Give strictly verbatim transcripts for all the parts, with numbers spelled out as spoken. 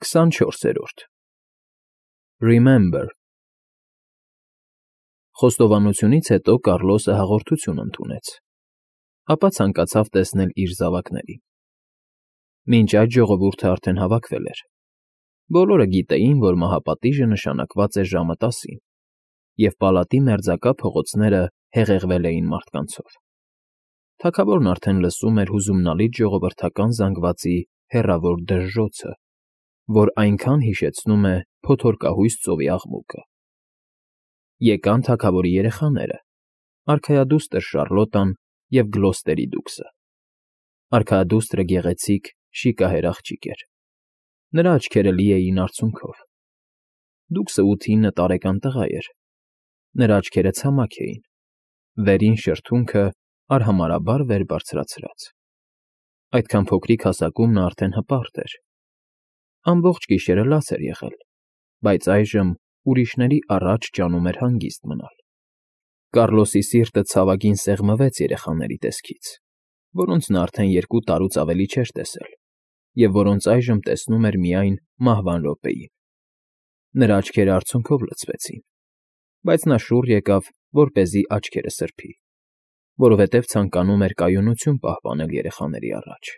քսանչորսերորդ Remember Խոստովանությունից հետո Կառլոսը հաղորդություն ընդունեց, ապա ցանկացավ տեսնել իր զավակներին։ Մինչ այդ ժողովուրդը արդեն հավաքվել էր։ Բոլորը գիտեին, որ մահապատիժը նշանակված էր ժամը տասին, և պալատի մերձակա փողոցները հեղեղվել էին մարդկանցով։ Թագավորն արդեն լսում էր հուզումնալից ժողովրդական զանգվածի հեռավոր դժժոցը, որ այնքան հիշեցնում է փոթորկահույս ծովի աղմուկը։ Եկան թագավորի երեխաները՝ արքայադուստր Շառլոտան և Գլոստերի դուքսը։ Արքայադուստրը գեղեցիկ, շիկահեր աղջիկ էր։ Նրա աչքերը լի էին արցունքով։ Դուքսը ութ֊ինը տարեկան տղա էր։ Նրա աչքերը ցամաք էին, վերին շրթունքը արհամարհաբար վեր բարձրացրած։ Այդքան փոքրիկ հասակում նա արդեն հպարտ էր։ Ամբողջ գիշերը լաց էր եղել, բայց այժմ ուրիշների առաջ ջանում էր հանգիստ մնալ։ Կառլոսի սիրտը ցավագին սեղմվեց երեխաների տեսքից, որոնց նա արդեն երկու տարուց ավելի չէր տեսել և որոնց այժմ տեսնում էր միայն մահվան րոպեին։ Նրա աչքերը արցունքով լցվեցին, բայց նա շուռ եկավ, որպեսզի աչքերը սրբի, որովհետև ցանկանում էր կայունություն պահպանել երեխաների առաջ,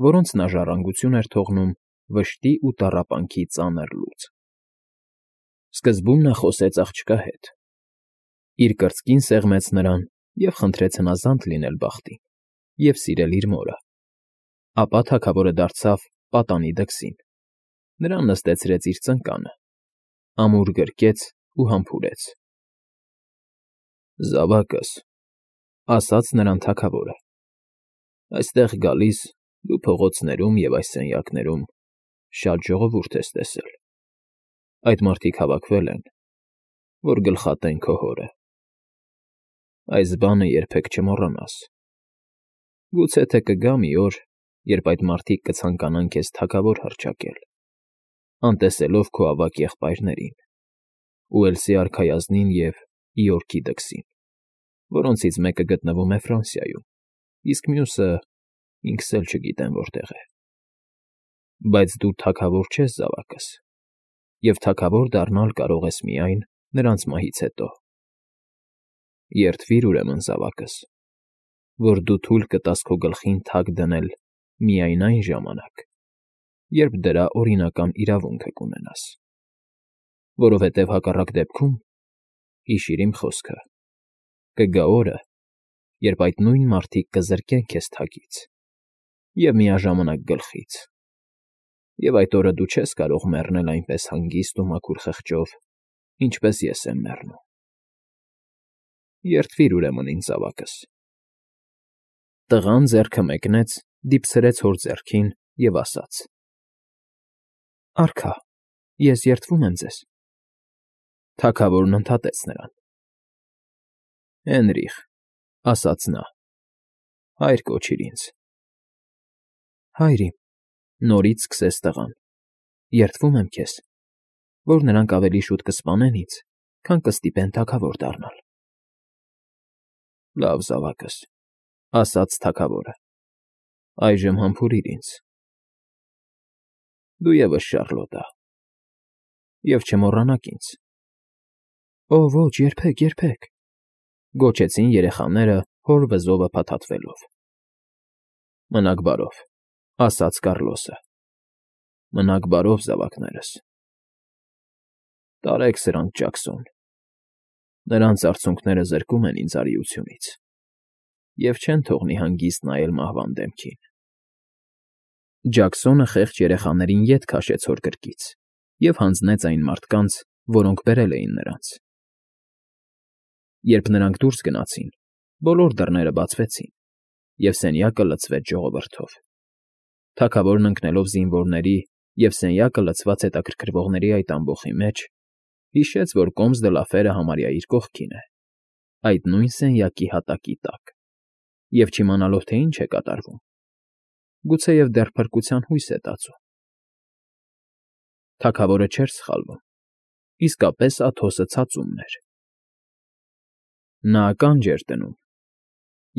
որոնց նա ժառանգություն էր թողնում վշտի ու տառապանքի ծանր լուծ։ Սկզբում նա խոսեց աղջկա հետ, իր կրծքին սեղմեց նրան և խնդրեց հնազանդ լինել բախտին և սիրել իր մորը։ Ապա թագավորը դարձավ պատանի դքսին, նրան նստեցրեց իր ծնկանը, ամուր գրկեց ու համբուրեց։ ֊ Զավակս,֊ ասաց նրան թագավորը,֊ այստեղ գալիս դու փողոցներում և այս սենյակներում շատ ժողովուրդ ես տեսել։ Այդ մարդիկ հավաքվել են, որ գլխատեն քո հորը։ Այս բանը երբեք չմոռանաս։ Գուցե թե կգա մի օր, երբ այդ մարդիկ կցանկանան քեզ թագավոր հռչակել, անտեսելով քո ավագ եղբայրներին՝ Ուելսի արքայազնին և Իորքի դքսին, որոնցից մեկը գտնվում է Ֆրանսիայում, իսկ մյուսը ինքս էլ չգիտեմ որտեղ է։ Բայց դու թագավոր չես, զավակս, և թագավոր դառնալ կարող ես միայն նրանց մահից հետո։ Երդվիր, ուրեմն, զավակս, որ դու թույլ կտաս քո գլխին թագ դնել միայն այն ժամանակ, երբ դրա օրինական իրավունքը կունենաս։ Որովհետև հակառակ դեպքում, հիշիր իմ խոսքը, կգա օրը, երբ այդ նույն մարդիկ կզրկեն քեզ թագից և միաժամանակ գլխից, և այդ օրը դու չես կարող մեռնել այնպես հանգիստ ու մաքուր խղճով, ինչպես ես եմ մեռնում։ Երդվիր, ուրեմն, ինձ զավակս։ Տղան ձեռքը մեկնեց, դիպցրեց հոր ձեռքին և ասաց. Արքա, ես երդվում եմ ձեզ։ Թագավորն ընդհատեց նրան։ Հենրիխ,֊ ասաց նա,֊ հայր կոչիր ինձ։ Հայր իմ,֊ նորից սկսեց տղան,֊ երդվում եմ քեզ, որ նրանք ավելի շուտ կսպանեն ինձ, քան կստիպեն թագավոր դառնալ։ Լավ, զավակս,֊ ասաց թագավորը,֊ այժմ համբուրիր ինձ։ Դու ևս Շառլոտա, և չմոռանաք ինձ։ Օ, ոչ, երբեք, երբեք,֊ գոչեցին երեխաները հոր վզովը փաթաթվելով։ Մնաք բարով,֊ ասաց Կառլոսը,֊ մնաք բարով, զավակներս։ Տարեք սրանց Ջաքսոն, նրանց արցունքները զրկում են ինձ արիությունից և չեն թողնի հանգիստ նայել մահվան դեմքին։ Ջաքսոնը խեղճ երեխաներին ետ քաշեց հոր գրկից և հանձնեց այն մարդկանց, որոնք բերել էին նրանց։ Երբ նրանք դուրս գնացին, բոլոր դռները բացվեցին, և սենյակը լցվեց ժողովրդով։ Թագավորն ընկնելով զինվորների և սենյակը լցված հետաքրքրվողների այդ ամբոխի մեջ, հիշեց, որ Կոմս դը Լաֆերը համարյա իր կողքին է, այդ նույն սենյակի հատակի տակ, և չիմանալով, թե ինչ է կատարվում, գուցեև դեռ փրկության հույս է տածում։ Թագավորը չէր սխալվում, իսկապես Աթոսը ցածումն էր։ Նա ականջ էր դնում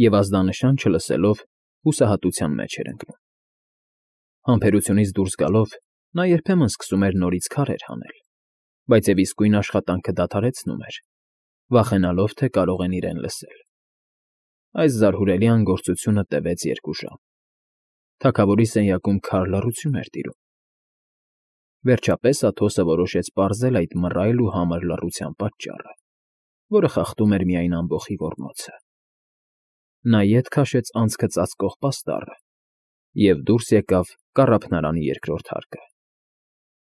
և, ազդանշան չլսելով, հուսահատության մեջ էր ընկնում։ Համբերությունից դուրս գալով, Նա երբեմն սկսում էր նորից քարեր հանել, բայց և իսկույն աշխատանքը դադարեցնում էր, վախենալով, թե կարող են իրեն լսել։ Այս զարհուրելի անգործությունը տևեց երկու ժամ։ Թագավորի սենյակում քար լռություն էր տիրում։ Վերջապես Աթոսը որոշեց պարզել այդ մռայլ ու համր լռության պատճառը, որը խախտում էր միայն ամբոխի ոռնոցը։ Նա ետ քաշեց անցքը ծածկող պաստառը և դուրս եկավ կառափնարանի երկրորդ հարկը։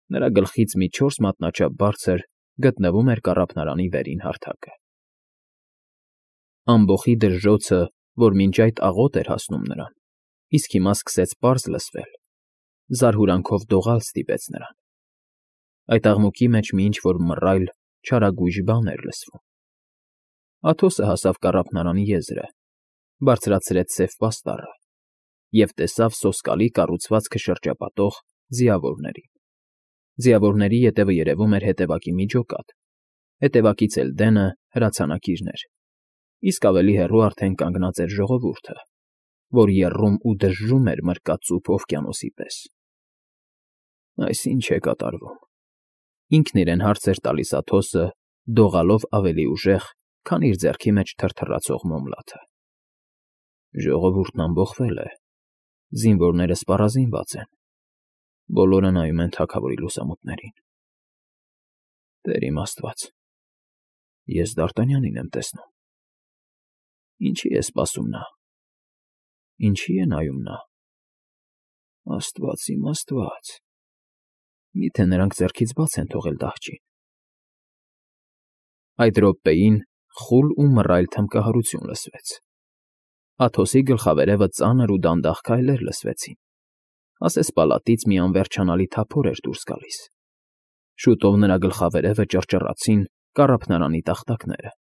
Նրա գլխից մի չորս մատնաչափ բարձր գտնվում էր կառափնարանի վերին հարթակը։ Ամբոխի դժժոցը, որ մինչ այդ աղոտ էր հասնում նրան, իսկ հիմա սկսեց պարզ լսվել, զարհուրանքով դողալ ստիպեց նրան։ Այդ աղմուկի մեջ մի ինչ֊որ մռայլ, չարագույժ բան էր լսվում։ Աթոսը հասավ կառափնարանի եզրը, բարձրացրեց սև պաստառը և տեսավ սոսկալի կառուցվածքը շրջապատող ձիավորներին։ Ձիավորների ետևը երևում էր հետևակի մի ջոկատ, հետևակից էլ դենը հրացանակիրներ, իսկ ավելի հեռու արդեն կանգնած էր ժողովուրդը, որ եռում ու դժժում էր մրկածուփ օվկիանոսի պես։ «Այս ի՞նչ է կատարվում,֊ ինքն իրեն հարց էր տալիս Աթոսը, դողալով ավելի ուժեղ, քան իր ձեռքի մեջ թրթռացող մոմլաթը։ Ժողովուրդն ամբոխվել է, զինվորները սպառազինված են, բոլորը նայում են թագավորի լուսամուտներին։ Տեր իմ աստված, ես Դ'Արտանյանին եմ տեսնում։ Ինչի՞ է սպասում նա, ինչի՞ է նայում նա։ Աստված իմ աստված, մի՞թե նրանք ձեռքից բաց են թողել դահճին»։ Այդ րոպեին խուլ ու մռայլ թմբկահարություն լսվեց։ Աթոսի գլխավերևը ծանր ու դանդաղ քայլեր լսվեցին, ասես պալատից մի անվերջանալի թափոր էր դուրս գալիս։ Շուտով նրա գլխավերևը ճռճռացին կառափնարանի տախտակները։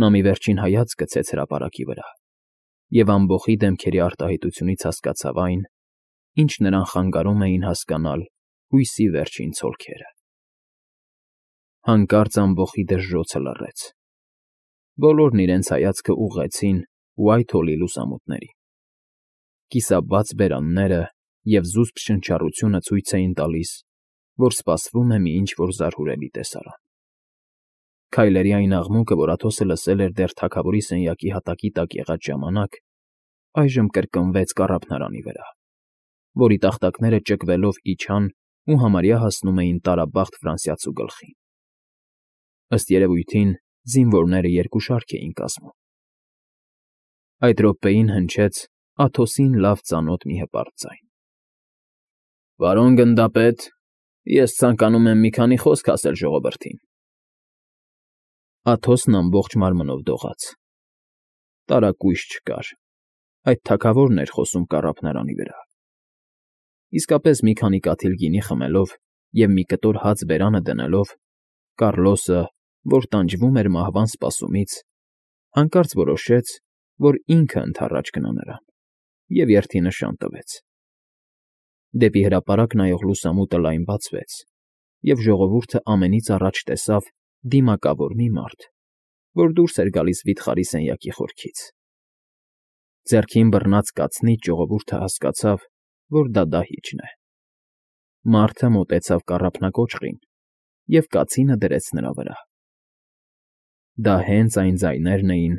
Նա մի վերջին հայացք գցեց հրապարակի վրա և ամբոխի դեմքերի արտահայտությունից հասկացավ այն, ինչ նրան խանգարում էին հասկանալ հույսի վերջին ցոլքերը։ Հանկարծ ամբոխի դժժոցը լռեց։ Բոլորն իրենց հայացքը ուղղեցին Ուայթհոլի լուսամուտներին։ Կիսաբաց բերանները և զուսպ շնչառությունը ցույց էին տալիս, որ սպասվում է մի ինչ֊որ զարհուրելի տեսարան։ Քայլերի այն աղմուկը, որ Աթոսը լսել էր դեռ թագավորի սենյակի հատակի տակ եղած ժամանակ, այժմ կրկնվեց կառափնարանի վրա, որի տախտակները ճկվելով իջան ու համարյա հասնում էին տարաբախտ ֆրանսիացու գլխին։ Ըստ երևույթին, զինվորները երկու շարք էին կազմում։ Այդ րոպեին հնչեց Աթոսին լավ ծանոթ մի հպարտ ձայն. «Պարոն գնդապետ, ես ցանկանում եմ մի քանի խոսք ասել ժողովրդին»։ Աթոսն ամբողջ մարմնով դողաց։ Տարակույս չկար, այդ թագավորն էր խոսում կառափնարանի վրա։ Իսկապես մի քանի կաթիլ գինի խմելով և մի կտոր հաց բերանը դնելով, Կառլոսը, որ տանջվում էր մահվան սպասումից, հանկարծ որոշեց, որ ինքը ընդառաջ գնա նրան, և երդի նշան տվեց։ Դեպի հրապարակ նայող լուսամուտը լայն բացվեց, և ժողովուրդը ամենից առաջ տեսավ դիմակավոր մի մարդ, որ դուրս էր գալիս վիթխարի սենյակի խորքից։ Ձեռքին բռնած կացնից ժողովուրդը հասկացավ, որ դա դահիճն է։ Մարդը մոտեցավ կառափնակոճղին և կացինը դրեց նրա վրա։ Դա հենց այն ձայներն էին,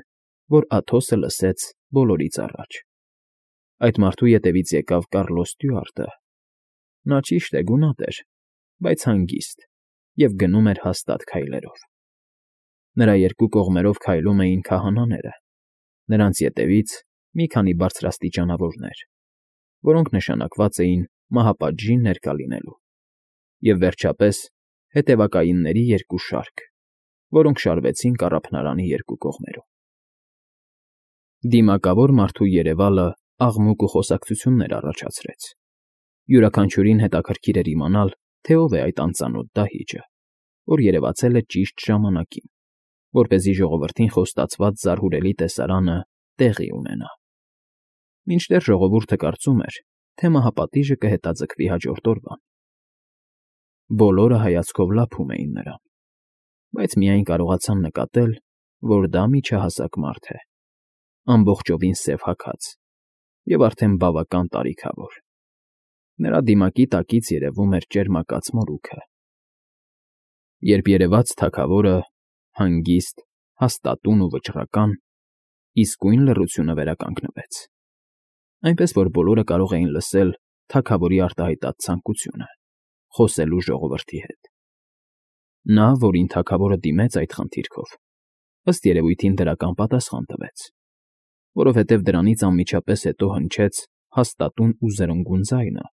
որ Աթոսը լսեց բոլորից առաջ։ Այդ մարդու ետևից եկավ Կառլոս ստյուարտը։ Նա, ճիշտ է, գունատ էր, բայց հանգիստ և գնում էր հաստատ քայլերով։ Նրա երկու կողմերով քայլում էին քահանաները, նրանց ետևից մի քանի բարձրաստիճանավորներ, որոնք նշանակված էին մահապատժին ներկա լինելու, և վերջապես հետևակայինների երկու շարք, որոնք շարվեցին կառափնարանի երկու կողմերում։ Դիմակավոր մարդու երևալը աղմուկ ու խոսակցություններ առաջացրեց։ Յուրաքանչյուրին հետաքրքիր էր իմանալ, թե ով է այդ անծանոթ դահիճը, որ երևացել է ճիշտ ժամանակին, որպեսզի ժողովրդին խոստացված զարհուրելի տեսարանը տեղի ունենա։ Մինչդեռ ժողովուրդը կարծում էր, թե մահապատիժը կհետաձգվի հաջորդ օրվան։ Բոլորը հայացքով լափում էին նրան, բայց միայն կարողացան նկատել, որ դա միջահասակ մարդ է, ամբողջովին սև հագած և արդեն բավական տարիքավոր։ Նրա դիմակի տակից երևում էր ճերմակած մորուքը։ Երբ երևաց թագավորը, հանգիստ, հաստատուն ու վճռական, իսկույն լռությունը վերականգնվեց, այնպես որ բոլորը կարող էին լսել թագավորի արտահայտած ցանկությունը՝ խոսելու ժողովրդի հետ։ Նա, որին թագավորը դիմեց այդ խնդիրքով, ըստ երևույթին դրական պատասխան տվեց, որովհետև դրանից անմիջապես հետո հնչեց հաստատուն ու զրնգուն ձայնը,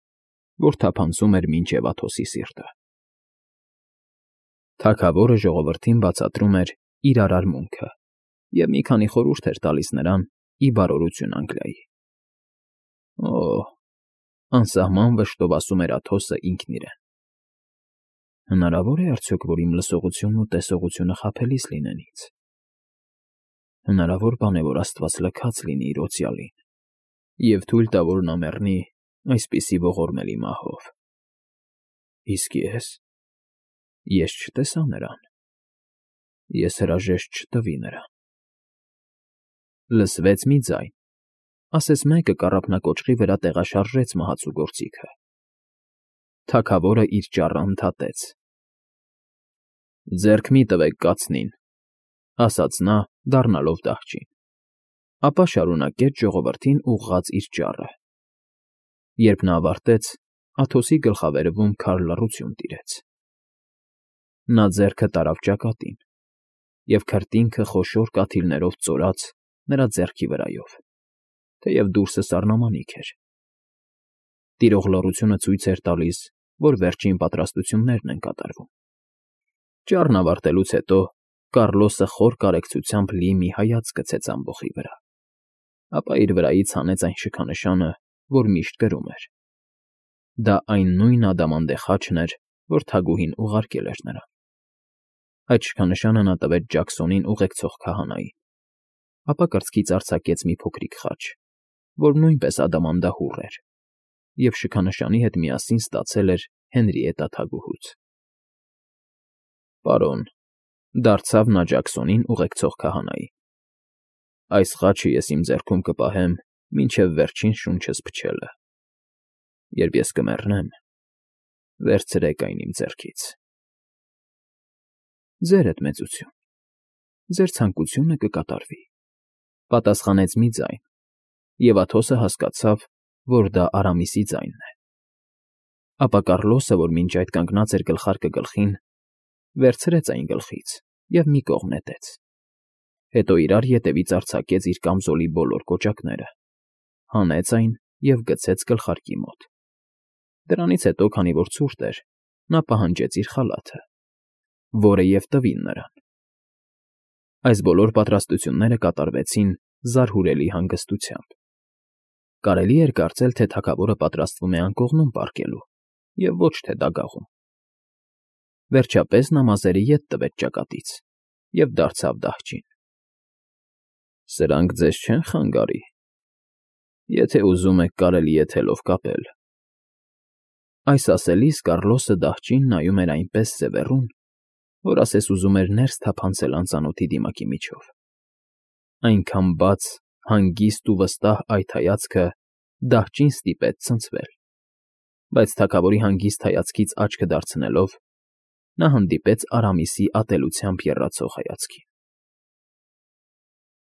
որ թափանցում էր մինչև Աթոսի սիրտը։ Թագավորը ժողովրդին բացատրում էր իր արարմունքը և մի քանի խորհուրդ էր տալիս նրան ի բարօրություն Անգլիայի։ Օ՜, անսահման վշտով ասում էր Աթոսը ինքն իրեն։ Հնարավո՞ր է արդյոք, որ իմ լսողությունն ու տեսողությունը խաբելիս լինեն ինձ։ Հնարավոր բան է, որ Աստված լքած լինի իր օծյալին և թույլ տա, որ նա մեռնի այսպիսի ողորմելի մահով։ Իսկ ես… ես չտեսա նրան, ես հրաժեշտ չտվի նրան։ Լսվեց մի ձայն, ասես մեկը կառափնակոճղի վրա տեղաշարժեց մահացու գործիքը։ Թագավորը իր ճառը ընդհատեց։ «Ձեռք մի տվեք կացնին», ասաց նա, դառնալով դահճին, ապա շարունակեց ժողովրդին ուղղած իր ճառը։ Երբ նա ավարտեց, Աթոսի գլխավերևում քար լռություն տիրեց։ Նա ձեռքը տարավ ճակատին, և քրտինքը խոշոր կաթիլներով ծորաց նրա ձեռքի վրայով, թեև դուրսը սառնամանիք էր։ Տիրող լռությունը ցույց էր տալիս, որ վերջին պատրաստություններն են կատարվում։ Ճառն ավարտելուց հետո Կառլոսը խոր կարեկցությամբ լի մի հայացք գցեց ամբոխի վրա, ապա իր վրայից հանեց այն շքանշանը, որ միշտ կրում էր։ Դա այն նույն ադամանդե խաչն էր, որ թագուհին ուղարկել էր նրան։ Այդ շքանշանը նա տվեց Ջաքսոնին ուղեկցող քահանային, ապա կրծքից արձակեց մի փոքրիկ խաչ, որ նույնպես ադամանդահուռ էր, և շքանշանի հետ միասին ստացել էր Հենրիետտա թագուհուց։ Պարոն, դարձավ նա Ջաքսոնին ուղեկցող քահանային, այս խաչը ես իմ ձեռքում կպահեմ մինչև վերջին շունչս փչելը։ Երբ ես կմեռնեմ, վերցրեք այն իմ ձեռքից։ Ձերդ մեծություն, ձեր ցանկությունը կկատարվի, պատասխանեց մի ձայն, և Աթոսը հասկացավ, որ դա Արամիսի ձայնն է։ Ապա Կառլոսը, որ մինչ այդ կանգնած էր գլխարկը գլխին, վերցրեց այն գլխից և մի կողմ նետեց, հետո իրար ետևից արձակեց իր կամզոլի բոլոր կոճակները, հանեց այն և գցեց գլխարկի մոտ։ Դրանից հետո, քանի որ ցուրտ էր, նա պահանջեց իր խալաթը, որը և տվին նրան։ Այս բոլոր պատրաստությունները կատարվեցին զարհուրելի հանգստությամբ։ Կարելի էր կարծել, թե թագավորը պատրաստվում է անկողնում պառկելու և ոչ թե դագաղում։ Վերջապես նա մազերը ետ տվեց ճակատից և դարձավ դահճին։ Սրանք ձեզ չեն խանգարի։ Եթե ուզում եք, կարելի է թելով կապել։ Այս ասելիս Կառլոսը դահճին նայում էր այնպես սևեռուն, որ ասես ուզում էր ներս թափանցել անծանոթի դիմակի միջով։ Այնքան բաց, հանգիստ ու վստահ այդ հայացքը դահճին ստիպեց ցնցվել, բայց թագավորի հանգիստ հայացքից աչքը դարձնելով՝ նա հանդիպեց Արամիսի ատելությամբ եռացող հայացքին։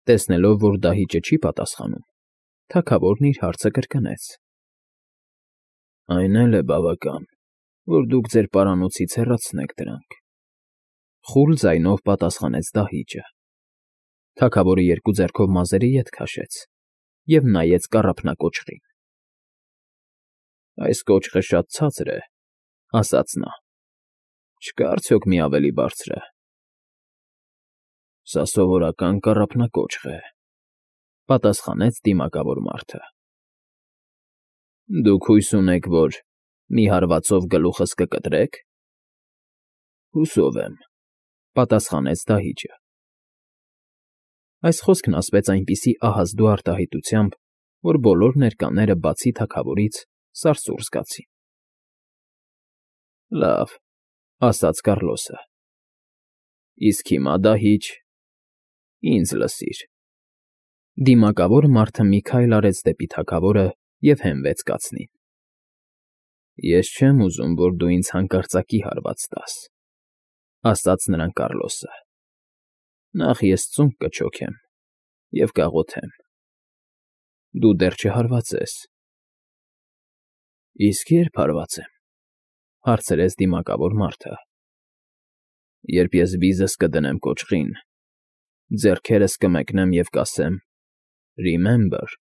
Տեսնելով, որ դահիճը չի պատասխանում, թագավորն իր հարցը կրկնեց. Այն էլ է բավական, որ դուք ձեր պարանոցից հեռացնեք դրանք,֊ խուլ ձայնով պատասխանեց դահիճը։ Թագավորը երկու ձեռքով մազերը ետ քաշեց և նայեց կառափնակոճղին։ Այս կոճղը շատ ցածր է, ասաց նա, չկա՞ արդյոք մի ավելի բարձրը։ Սա սովորական կառափնակոճղ է,֊ պատասխանեց դիմակավոր մարդը։ Դուք հույս ունեք, որ մի հարվածով գլուխս կկտրեք։ Հուսով եմ,֊ պատասխանեց դահիճը։ Այս խոսքն ասվեց այնպիսի ահազդու արտահայտությամբ, որ բոլոր ներկաները, բացի թագավորից, սարսուռ զգացին։ Լավ,֊ ասաց Կառլոսը,֊ իսկ հիմա, դահիճ, ինձ լսիր։ Դիմակավոր մարդը մի քայլ արեց դեպի թագավորը և հենվեց կացնին։ Ես չեմ ուզում, որ դու ինձ հանկարծակի հարված տաս,֊ ասաց նրան Կառլոսը։ Նախ ես ծունկ կչոքեմ և կաղոթեմ։ Դու դեռ չհարված ես։ Իսկ ե՞րբ հարվածեմ,֊ հարցրեց դիմակավոր մարդը։ Երբ ես վիզս կդնեմ կոճղին, ձեռքերս կմեկնեմ և կասեմ. «Remember»,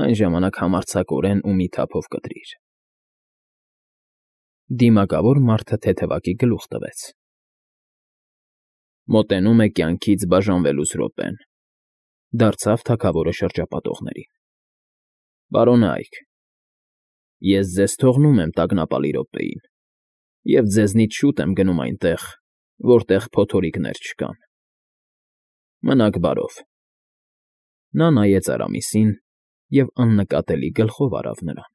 այն ժամանակ համարձակորեն ու մի թափով կտրիր։ Դիմակավոր մարդը թեթևակի գլուխ տվեց։ Մոտենում է կյանքից բաժանվելուս րոպեն,֊ դարձավ թագավորը շրջապատողներին։ Պարոն Այք, ես ձեզ թողնում եմ տագնապալի րոպեին և ձեզնից շուտ եմ գնում այնտեղ, որտեղ փոթորիկներ չկան։ Մնաք բարով։ Նա նայեց Արամիսին և աննկատելի գլխով արավ նրան։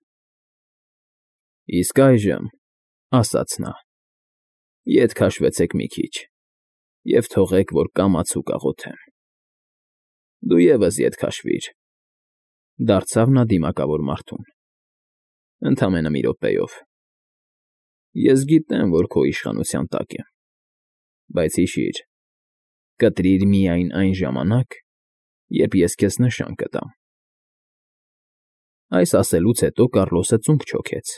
Իսկ այժմ,֊ ասաց նա,֊ ետ քաշվեցեք մի քիչ և թողեք, որ կամացուկ աղոթեմ։ Դու ևս ետ քաշվիր,֊ դարձավ նա դիմակավոր մարդուն,֊ ընդամենը մի րոպեով։ Ես գիտեմ, որ քո իշխանության տակ եմ, բայց հիշիր, կտրիր միայն այն ժամանակ, երբ ես քեզ նշան կտամ։ Այս ասելուց հետո Կառլոսը ծունկ չոքեց,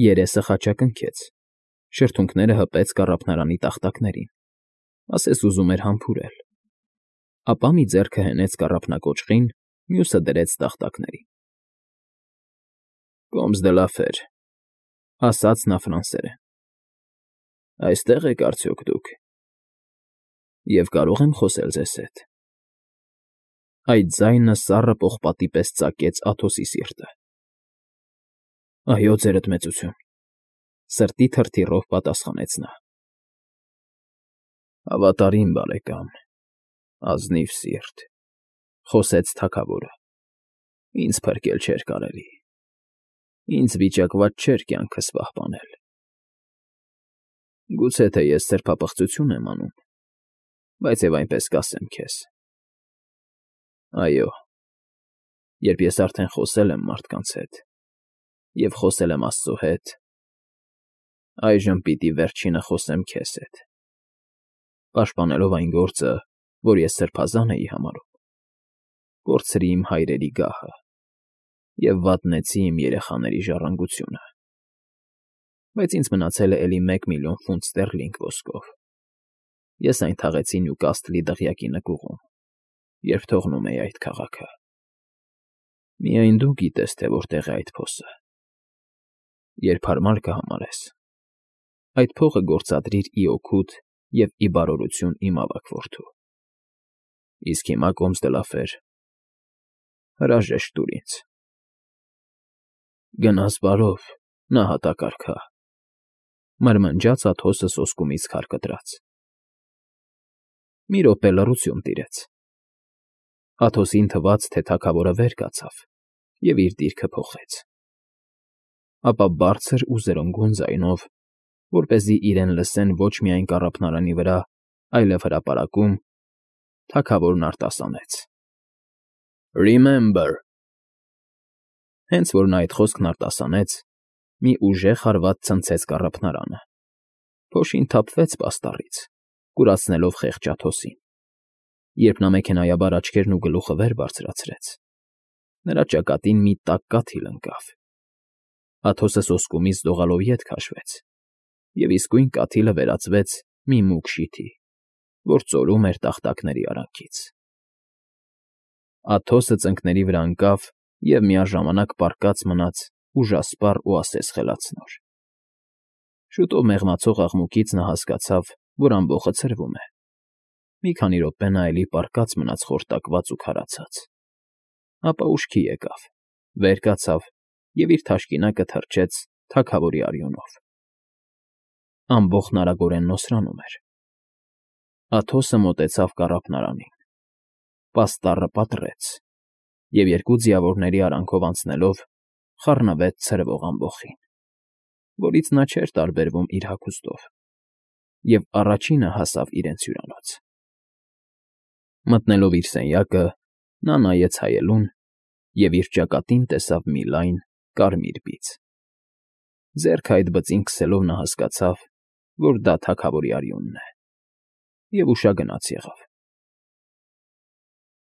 երեսը խաչակնքեց, շրթունքները հպեց կառափնարանի տախտակներին, ասես ուզում էր համբուրել, ապա մի ձեռքը հենեց կառափնակոճղին, մյուսը դրեց տախտակներին։ Կոմս դը լա ֆեր,֊ ասաց նա ֆրանսերեն։ Այստե՞ղ եք արդյոք դուք, և կարո՞ղ եմ խոսել ձեզ հետ։ Այդ ձայնը սառը պողպատի պես ծակեց Աթոսի սիրտը։ Այո, ձերդ մեծություն,֊ սրտի թրթիռով պատասխանեց նա։ Հավատարիմ բարեկամ, ազնիվ սիրտ,֊ խոսեց թագավորը,֊ ինձ փրկել չէր կարելի, ինձ վիճակված չէր կյանքս պահպանել։ Գուցե թե ես սրբապղծություն եմ անում, բայց և այնպես կասեմ քեզ. այո, երբ ես արդեն խոսել եմ մարդկանց հետ և խոսել եմ Աստծո հետ, այժմ պիտի վերջինը խոսեմ քեզ հետ, պաշտպանելով այն գործը, որ ես սրբազան էի համարում, կորցրի իմ հայրերի գահը և վատնեցի իմ երեխաների ժառանգությունը, բայց ինձ մնացել է էլի մեկ միլիոն ֆունտ ստերլինգ ոսկով. ես այն թաղեցի Նյուկասթլի դղյակի նկուղում, երբ թողնում էի այդ քաղաքը։ Միայն դու գիտես, թե որտեղ է այդ փոսը։ Երբ հարմար կհամարես, այդ փողը գործադրիր ի օգուտ և ի բարօրություն իմ ավագ որդու։ Իսկ հիմա, Կոմս դը լա Ֆեր, հրաժեշտ տուր ինձ։ Գնաս բարով, նահատակարգա,֊ մրմնջաց Աթոսը սոսկումից քար կտրած։ Մի րոպե լռություն տիրեց։ Աթոսին թվաց, թե թագավորը վեր կացավ և իր դիրքը փոխեց։ Ապա բարձր ու զրնգուն ձայնով, որպեսզի իրեն լսեն ոչ միայն կառափնարանի վրա, այլև հրապարակում, թագավորն արտասանեց. Remember… Հենց որ նա այդ խոսքն արտասանեց, մի ուժեղ հարված ցնցեց կառափնարանը, փոշին թափվեց պաստառից, կուրացնելով խեղճ Աթոսին։ Երբ նա մեքենայաբար աչքերն ու գլուխը վեր բարձրացրեց, նրա ճակատին մի տաք կաթիլ ընկավ։ Աթոսը սոսկումից դողալով ետ քաշվեց, և իսկույն կաթիլը վերածվեց մի մուգ շիթի, որ ծորում էր տախտակների արանքից։ Աթոսը ծնկների վրա ընկավ և միաժամանակ պառկած մնաց ուժասպառ ու ասես խելացնոր։ Շուտով մեղմացող աղմուկից նա հասկացավ, որ ամբոխը ցրվում է։ Մի քանի րոպե նա էլի պառկած մնաց խորտակված ու քարացած, ապա ուշքի եկավ, վեր կացավ և իր թաշկինակը թռչեց թագավորի արյունով։ Ամբոխն արագորեն նոսրանում էր։ Աթոսը մոտեցավ կառափնարանին, պաստառը պատռեց և երկու ձիավորների արանքով անցնելով խառնվեց ցրվող ամբոխին, որից նա չէր տարբերվում իր հագուստով, և առաջինը հասավ իրենց հյուրանոց։ Մտնելով իր սենյակը, նա նայեց հայելուն և իր ճակատին տեսավ մի լայն կարմիր բիծ։ Ձեռքը այդ բծին քսելով նա հասկացավ, որ դա թագավորի արյունն է, և ուշագնաց եղավ։